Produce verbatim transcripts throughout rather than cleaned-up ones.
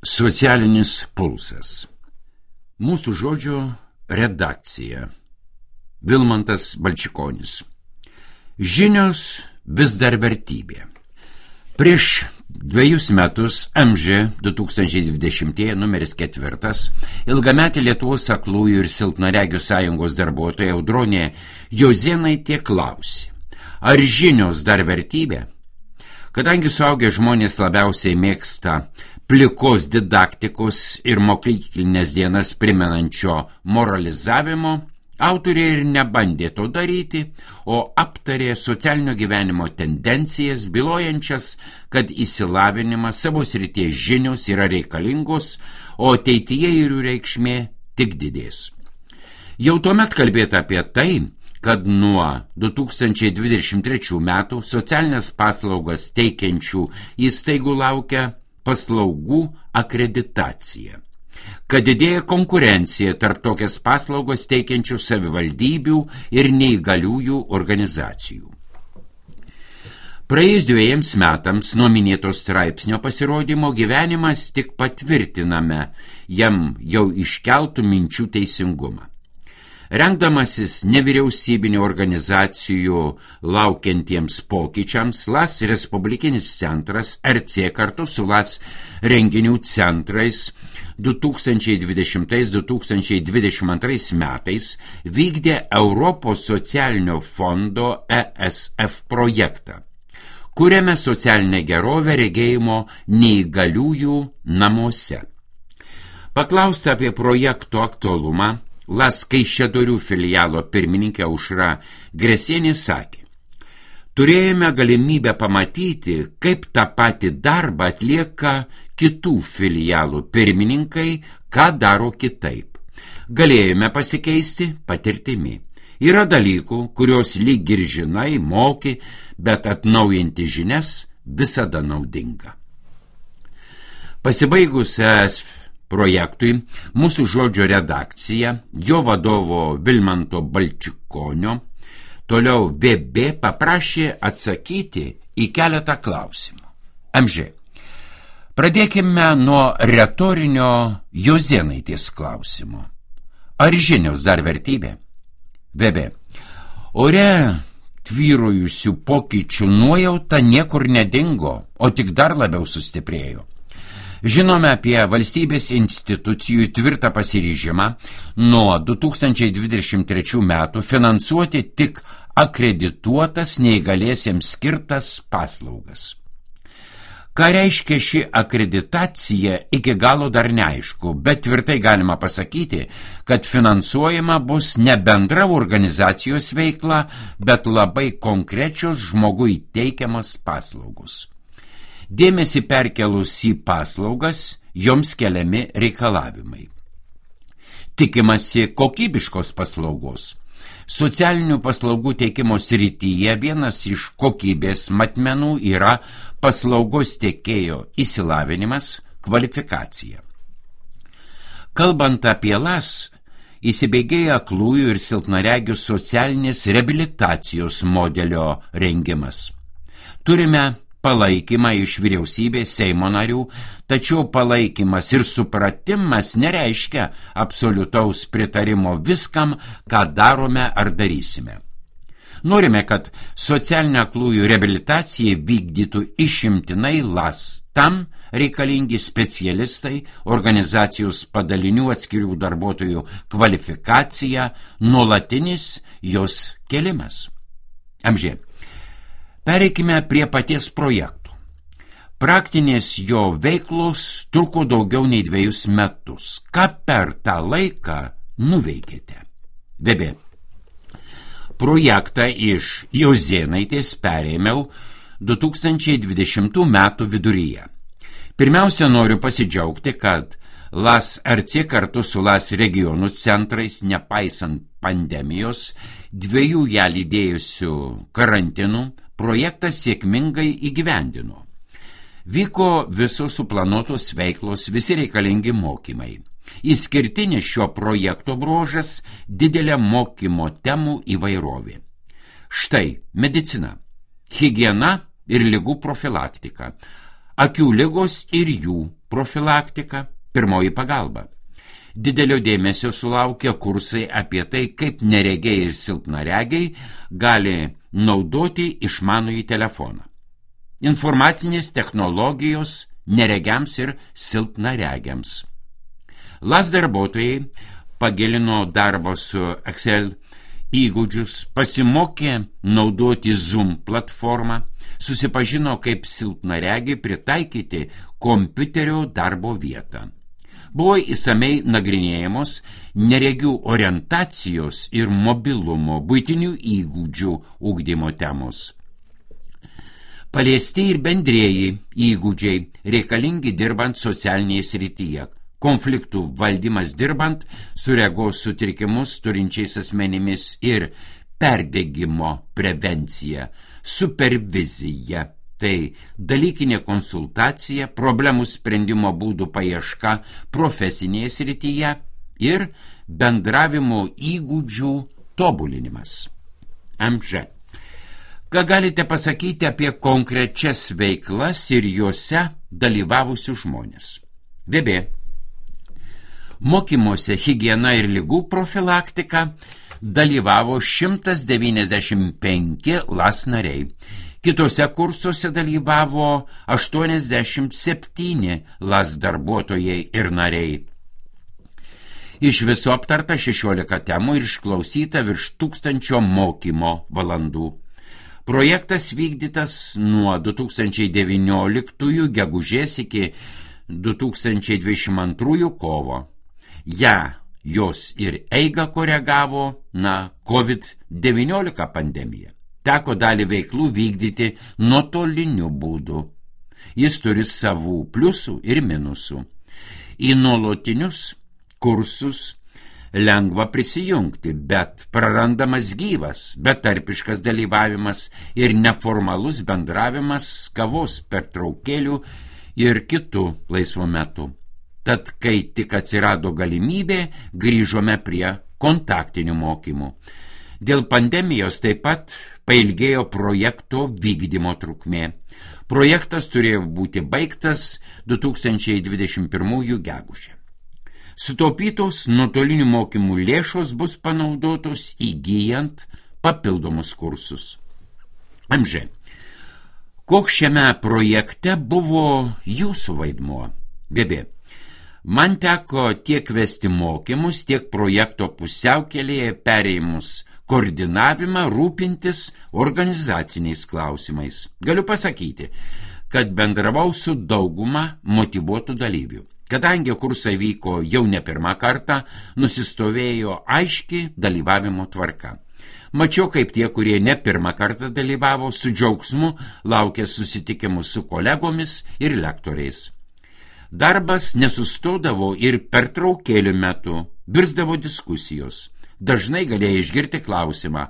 Socialinis pulsas. Mūsų žodžio redakcija. Vilmantas Balčikonis. Žinios vis dar vertybė. Prieš dviejus metus M Ž du tūkstančiai dvidešimtieji numeris ketvirtas ilgametė Lietuvos aklųjų ir silpnaregių sąjungos darbuotoja Audronė Jozėnaitė klausė, ar žinios dar vertybė? Kadangi suaugę žmonės labiausiai mėgsta plikos didaktikos ir mokyklinės dienas primenančio moralizavimo, autorė ir nebandė to daryti, o aptarė socialinio gyvenimo tendencijas, bylojančias, kad išsilavinimas, savo srities žinios yra reikalingos, o ateityje jų reikšmė tik didės. Jau tuomet kalbėta apie tai, kad nuo du tūkstančiai dvidešimt trečių metų socialinės paslaugas teikiančių įstaigų laukia paslaugų akreditacija, kad didėja konkurencija tarp tokias paslaugas teikiančių savivaldybių ir neįgaliųjų organizacijų. Praėjus dviejiems metams nuo minėto straipsnio pasirodymo gyvenimas tik patvirtiname jam jau iškeltų minčių teisingumą. Rengdamasis nevyriausybinių organizacijų laukiantiems pokyčiams, L A S Respublikinis centras R C kartu su L A S renginių centrais du tūkstančiai dvidešimtais - du tūkstančiai dvidešimt antrais metais vykdė Europos socialinio fondo E S F projektą, kuriame socialinę gerovę regėjimo neįgaliųjų namuose. Paklausta apie projekto aktualumą, L A S Kaišiadorių filialo pirmininkė Aušra Gresienė sakė, turėjome galimybę pamatyti, kaip tą patį darbą atlieka kitų filialų pirmininkai, ką daro kitaip. Galėjome pasikeisti patirtimi. Yra dalykų, kurios lyg ir žinai, moki, bet atnaujinti žinias visada naudinga. Pasibaigus E S F projektui, mūsų žodžio redakcija, jo vadovo Vilmanto Balčikonio, toliau V B paprašė atsakyti į keletą klausimų. M Ž. Pradėkime nuo retorinio Jozėnaitės klausimo. Ar žinios dar vertybė? V B. Ore tvyrojusių pokyčių nuojauta niekur nedingo, o tik dar labiau sustiprėjo. Žinome apie valstybės institucijų tvirtą pasiryžimą nuo du tūkstančiai dvidešimt trečių metų finansuoti tik akredituotas neįgaliesiems skirtas paslaugas. Ką reiškia ši akreditacija, iki galo dar neaišku, bet tvirtai galima pasakyti, kad finansuojama bus ne bendra organizacijos veikla, bet labai konkrečios žmogui teikiamas paslaugos. Dėmesį perkelus į paslaugas, joms keliami reikalavimai. Tikimasi kokybiškos paslaugos. Socialinių paslaugų teikimo srityje vienas iš kokybės matmenų yra paslaugos tiekėjo išsilavinimas, kvalifikacija. Kalbant apie L A S, įsibėgėja aklųjų ir silpnaregių socialinės reabilitacijos modelio rengimas. Turime palaikymą iš vyriausybės Seimo narių, tačiau palaikymas ir supratimas nereiškia absoliutaus pritarimo viskam, ką darome ar darysime. Norime, kad socialinę aklųjų reabilitaciją vykdytų išimtinai L A S. Tam reikalingi specialistai, organizacijos padalinių atskirių darbuotojų kvalifikacija, nuolatinis jos kėlimas. M Ž. Pereikime prie paties projektų. Praktinės jo veiklos truko daugiau nei dviejus metus. Ką per tą laiką nuveikėte? V B. Projektą iš Jozėnaitės perėmiau du tūkstančiai dvidešimtų metų viduryje. Pirmiausia, noriu pasidžiaugti, kad L A S R C kartu su L A S regionų centrais, nepaisant pandemijos, dviejų ją lydėjusių karantinų, projektas sėkmingai įgyvendino. Vyko visos suplanuotos veiklos, visi reikalingi mokymai. Išskirtinis šio projekto bruožas – didelė mokymo temų įvairovė. Štai medicina, higiena ir ligų profilaktika, akių ligos ir jų profilaktika, pirmoji pagalba. Didelio dėmesio sulaukia kursai apie tai, kaip neregiai ir silpnaregiai gali naudoti išmanųjį telefoną. Informacinės technologijos neregiams ir silpnaregiams. Las darbuotojai pagilino darbo su Excel įgūdžius, pasimokė naudoti Zoom platformą, susipažino, kaip silpnaregiai pritaikyti kompiuterio darbo vietą. Buvo įsamei nagrinėjamos neregių orientacijos ir mobilumo, buitinių įgūdžių ugdymo temos. Paliesti ir bendrieji įgūdžiai reikalingi dirbant socialinėje srityje, konfliktų valdymas dirbant su regos sutrikimus turinčiais asmenimis ir perdegimo prevencija, supervizija. Tai dalykinė konsultacija, problemų sprendimo būdų paieška profesinėje srityje ir bendravimo įgūdžių tobulinimas. M Ž. Ką galite pasakyti apie konkrečias veiklas ir juose dalyvavusius žmonės? V B. Mokymuose higiena ir ligų profilaktika dalyvavo šimtas devyniasdešimt penki Las nariai. Kitose kursuose dalyvavo aštuoniasdešimt septyni Las darbuotojai ir nariai. Iš viso aptarta šešiolika temų ir išklausyta virš tūkstančio mokymo valandų. Projektas vykdytas nuo du tūkstančiai devynioliktųjų gegužės iki du tūkstančiai dvidešimt antrųjų kovo. Ja, jos ir eigą koregavo, na, COVID devyniolika pandemija. Teko dalį veiklų vykdyti nuotoliniu būdu. Jis turi savų pliusų ir minusų. Į nuolatinius kursus lengva prisijungti, bet prarandamas gyvas, betarpiškas dalyvavimas ir neformalus bendravimas kavos pertraukėlių ir kitų laisvo metu. Tad, kai tik atsirado galimybė, grįžome prie kontaktinių mokymų. Dėl pandemijos taip pat pailgėjo projekto vykdymo trukmė. Projektas turėjo būti baigtas du tūkstančiai dvidešimt pirmųjų gegužę. Sutaupytos nuotolinių mokymų lėšos bus panaudotos įgyjant papildomus kursus. M Ž. Koks šiame projekte buvo jūsų vaidmuo? B B. Man teko tiek vesti mokymus, tiek projekto pusiaukelėje perėjimus koordinavimą, rūpintis organizaciniais klausimais. Galiu pasakyti, kad bendravau su dauguma motyvuotų dalyvių. Kadangi kursai vyko jau ne pirmą kartą, nusistovėjo aiški dalyvavimo tvarka. Mačiau, kaip tie, kurie ne pirmą kartą dalyvavo, su džiaugsmu laukė susitikimų su kolegomis ir lektoriais. Darbas nesustodavo ir pertraukėlių metu, virsdavo diskusijos. Dažnai galėjai išgirti klausimą,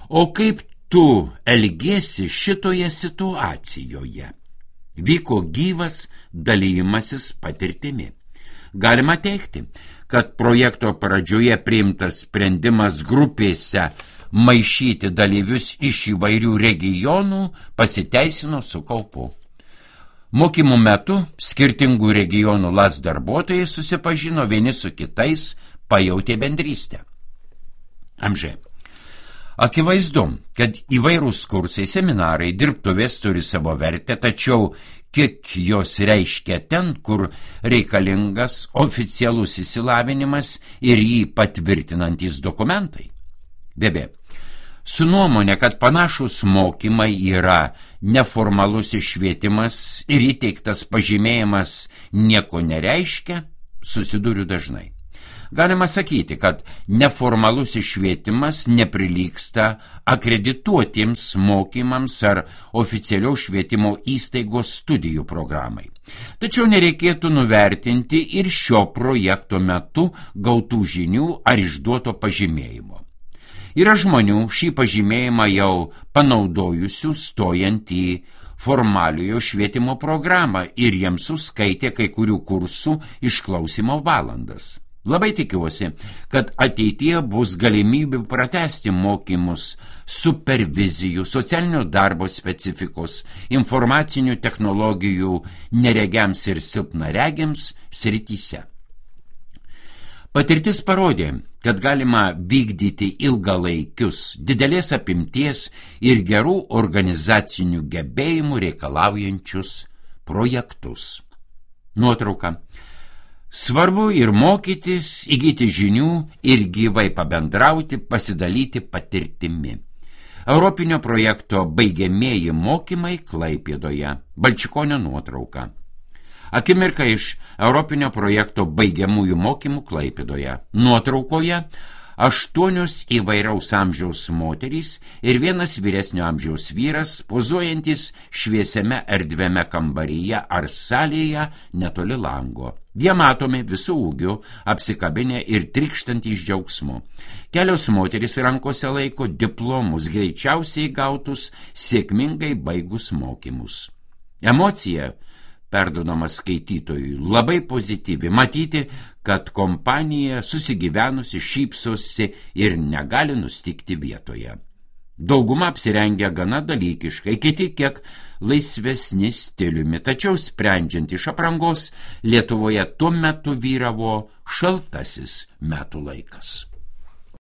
o kaip tu elgiesi šitoje situacijoje? Vyko gyvas dalymasis patirtimi. Galima teigti, kad projekto pradžioje priimtas sprendimas grupėse maišyti dalyvius iš įvairių regionų pasiteisino su kaupu. Mokymų metu skirtingų regionų Las darbuotojai susipažino vieni su kitais, pajautė bendrystę. M Ž. Akivaizdu, kad įvairūs kursai, seminarai, dirbtuvės turi savo vertę, tačiau kiek jos reiškia ten, kur reikalingas oficialus išsilavinimas ir jį patvirtinantys dokumentai. B B. Su nuomonė, kad panašus mokymai yra neformalus švietimas ir įteiktas pažymėjimas nieko nereiškia, susiduriu dažnai. Galima sakyti, kad neformalus švietimas neprilygsta akredituotiems mokymams ar oficialios švietimo įstaigos studijų programai. Tačiau nereikėtų nuvertinti ir šio projekto metu gautų žinių ar išduoto pažymėjimo. Yra žmonių šį pažymėjimą jau panaudojusių stojant į formaliojo švietimo programą ir jiems suskaitė kai kurių kursų išklausimo valandas. Labai tikiuosi, kad ateityje bus galimybių pratęsti mokymus supervizijų, socialinio darbo specifikos, informacinių technologijų neregiams ir silpnaregiams srityse. Patirtis parodė, kad galima vykdyti ilgalaikius, didelės apimties ir gerų organizacinių gebėjimų reikalaujančius projektus. Nuotrauka. Svarbu ir mokytis, įgyti žinių ir gyvai pabendrauti, pasidalyti patirtimi. Europinio projekto baigiamieji mokymai Klaipėdoje. Balčikonio nuotrauka. Akimirka iš Europinio projekto baigiamųjų mokymų Klaipėdoje. Nuotraukoje aštuonios įvairaus amžiaus moterys ir vienas vyresnio amžiaus vyras, pozuojantis šviesiame erdviame kambaryje ar salėje netoli lango. Jie matomi visų ūgių, apsikabinę ir trykštantys džiaugsmu. Kelios moterys rankose laiko diplomus, greičiausiai gautus sėkmingai baigus mokymus. Emocija perduodamas skaitytojui labai pozityvi, matyti, kad kompanija susigyvenusi šypsosi ir negali nustikti vietoje. Dauguma apsirengia gana dalykiškai, kiti kiek laisvesni stiliumi, tačiau sprendžiant iš aprangos, Lietuvoje tuo metu vyravo šaltasis metų laikas.